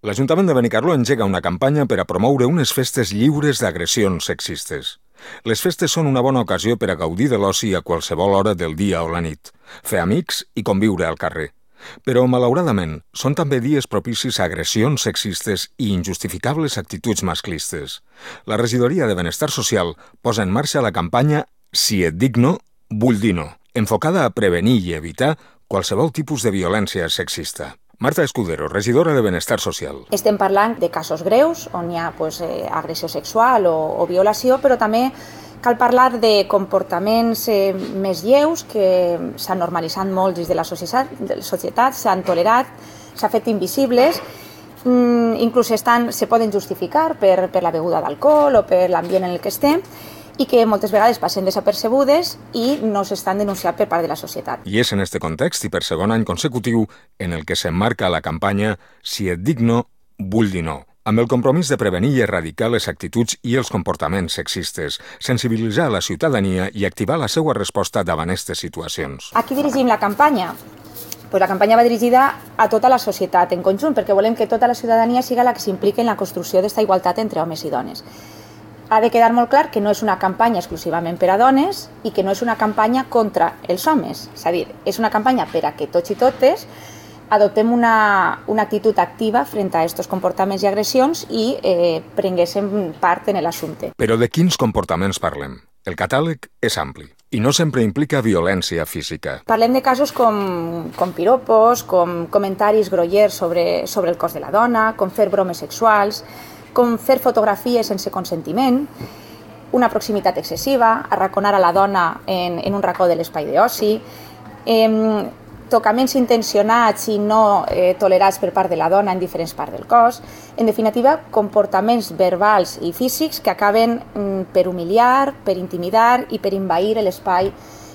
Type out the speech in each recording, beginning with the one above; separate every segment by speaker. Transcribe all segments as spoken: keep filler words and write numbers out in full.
Speaker 1: L'Ajuntament de Benicarló engega una campanya per a promoure unes festes lliures d'agressions sexistes. Les festes són una bona ocasió per a gaudir de l'oci a qualsevol hora del dia o la nit, fer amics i conviure al carrer. Però, malauradament, són també dies propicis a agressions sexistes i injustificables actituds masclistes. La Regidoria de Benestar Social posa en marxa la campanya Si et dic no, vull dir no, enfocada a prevenir i evitar qualsevol tipus de violència sexista. Marta Escudero, regidora de Benestar Social.
Speaker 2: Estem parlant de casos greus on hi ha pues, eh, agressió sexual o, o violació, però també cal parlar de comportaments eh, més lleus que s'han normalitzat molt dins de la societat, societat s'han tolerat, s'han fet invisibles, mm, inclús estan, se poden justificar per, per la beguda d'alcohol o per l'ambient en el que estem, i que moltes vegades passen desapercebudes i no s'estan denunciant per part de la societat.
Speaker 1: I és en este context i per segon any consecutiu en el que s'emmarca la campanya Si et dic no, vull dir no, amb el compromís de prevenir i erradicar les actituds i els comportaments sexistes, sensibilitzar la ciutadania i activar la seva resposta davant aquestes situacions.
Speaker 2: A qui dirigim la campanya? Pues la campanya va dirigida a tota la societat en conjunt, perquè volem que tota la ciutadania siga la que s'impliqui en la construcció d'esta igualtat entre homes i dones. Ha de quedar molt clar que no és una campanya exclusivament per a dones i que no és una campanya contra els homes. És a dir, és una campanya per a que tots i totes adoptem una, una actitud activa frente a aquests comportaments i agressions i eh, prenguéssim part en l'assumpte.
Speaker 1: Però de quins comportaments parlem? El catàleg és ampli i no sempre implica violència física.
Speaker 2: Parlem de casos com, com piropos, com comentaris grollers sobre, sobre el cos de la dona, com fer bromes sexuals, com fer fotografies sense consentiment, una proximitat excessiva, arraconar a la dona en, en un racó de l'espai d'oci, eh, tocaments intencionats i no eh, tolerats per part de la dona en diferents parts del cos, en definitiva, comportaments verbals i físics que acaben mm, per humiliar, per intimidar i per envair l'espai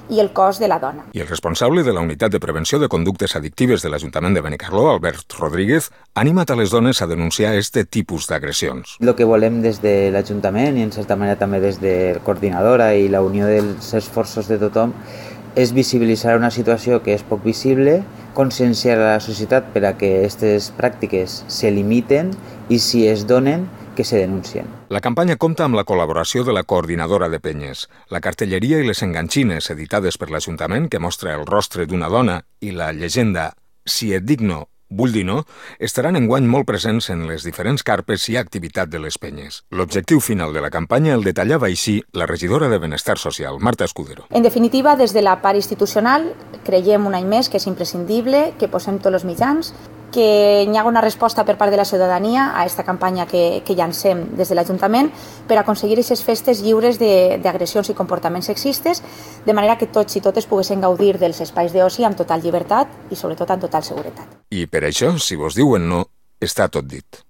Speaker 2: i el cos de la dona.
Speaker 1: I el responsable de la Unitat de Prevenció de Conductes Addictives de l'Ajuntament de Benicarló, Albert Rodríguez, ha animat a les dones a denunciar este tipus d'agressions.
Speaker 3: El que volem des de l'Ajuntament i en certa manera també des de Coordinadora i la unió dels esforços de tothom és visibilitzar una situació que és poc visible, conscienciar a la societat per a que aquestes pràctiques se limiten i si es donen, que se denuncien.
Speaker 1: La campanya compta amb la col·laboració de la Coordinadora de Penyes, la cartelleria i les enganxines editades per l'Ajuntament que mostra el rostre d'una dona i la llegenda Si et dic no, vull dir no, estaran enguany molt presents en les diferents carpes i activitat de les penyes. L'objectiu final de la campanya el detallava així la regidora de Benestar Social, Marta Escudero.
Speaker 2: En definitiva, des de la part institucional, creiem un any més que és imprescindible que posem tots els mitjans, que hi ha una resposta per part de la ciutadania a aquesta campanya que, que llancem des de l'Ajuntament per aconseguir aquestes festes lliures d'agressions i comportaments sexistes, de manera que tots i totes poguessin gaudir dels espais d'oci amb total llibertat i sobretot amb total seguretat.
Speaker 1: I per això, si vos diuen no, està tot dit.